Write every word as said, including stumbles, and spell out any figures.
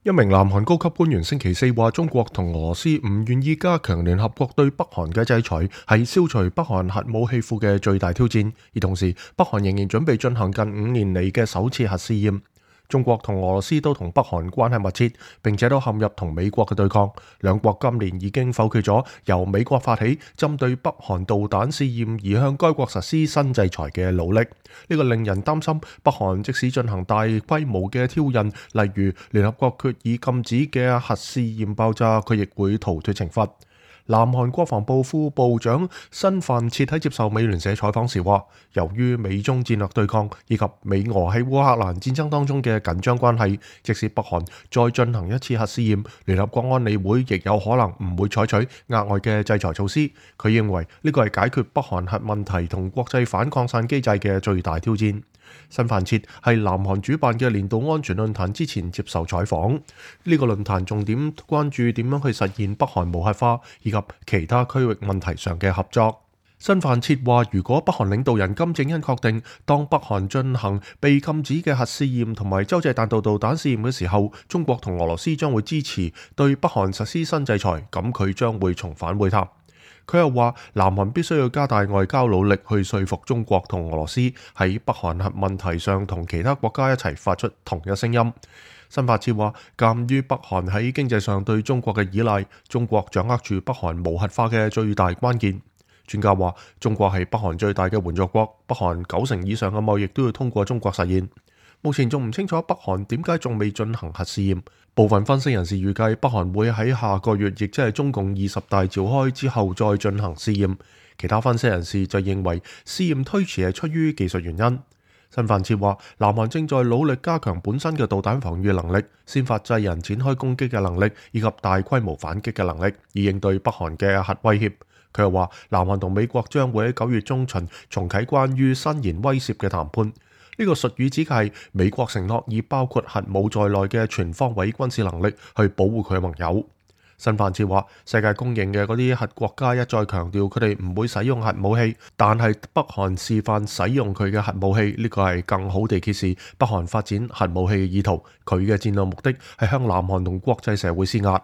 一名南韓高級官員星期四話，中國同俄羅斯唔願意加強聯合國對北韓嘅制裁，係消除北韓核武器庫嘅最大挑戰。而同時，北韓仍然準備進行近五年嚟嘅首次核試驗。中國同俄羅斯都同北韓關係密切，並且都陷入同美國嘅對抗。兩國今年已經否決咗由美國發起針對北韓導彈試驗而向該國實施新制裁嘅努力。呢個令人擔心，北韓即使進行大規模嘅挑釁，例如聯合國決議禁止嘅核試驗爆炸，佢亦會逃脫懲罰。南韓國防部副部長申範徹喺接受美聯社採訪時話，由於美中戰略對抗以及美俄喺烏克蘭戰爭當中嘅緊張關係，即使北韓再進行一次核試驗，聯合國安理會亦有可能唔會採取額外嘅制裁措施。佢認為呢個係解決北韓核問題同國際反擴散機制嘅最大挑戰。申範徹係南韓主辦嘅年度安全論壇之前接受採訪，呢、這個論壇重點關注點樣去實現北韓無核化以及其他區域問題上嘅合作。申範徹話，如果北韓領導人金正恩確定當北韓進行被禁止嘅核試驗同埋洲際彈道導彈試驗嘅時候，中國同俄羅斯將會支持對北韓實施新制裁，咁佢將會重返會談。佢又話，南韓必須要加大外交努力去說服中國同俄羅斯喺北韓核問題上同其他國家一齊發出同一聲音。申範徹話，鑑於北韓喺經濟上對中國嘅依賴，中國掌握住北韓無核化嘅最大關鍵。專家話，中國係北韓最大嘅援助國，北韓九成以上嘅貿易都要通過中國實現。目前仲唔清楚北韓點解仲未進行核試驗。部分分析人士預計北韓會喺下個月，亦即係中共二十大召開之後再進行試驗。其他分析人士就認為試驗推遲係出於技術原因。申範徹話，南韓正在努力加強本身嘅導彈防禦能力、先發制人展開攻擊嘅能力以及大規模反擊嘅能力，以應對北韓嘅核威脅。佢又話，南韓同美國將會喺九月中旬重啟關於伸延威懾嘅談判。呢個術語指嘅係美國承諾以包括核武在內嘅全方位軍事能力去保護佢嘅盟友。申範徹話，世界公認嘅嗰啲核國家一再強調佢哋唔會使用核武器，但係北韓示範使用佢嘅核武器，呢個係更好地揭示北韓發展核武器嘅意圖。佢嘅戰略目的係向南韓同國際社會施壓。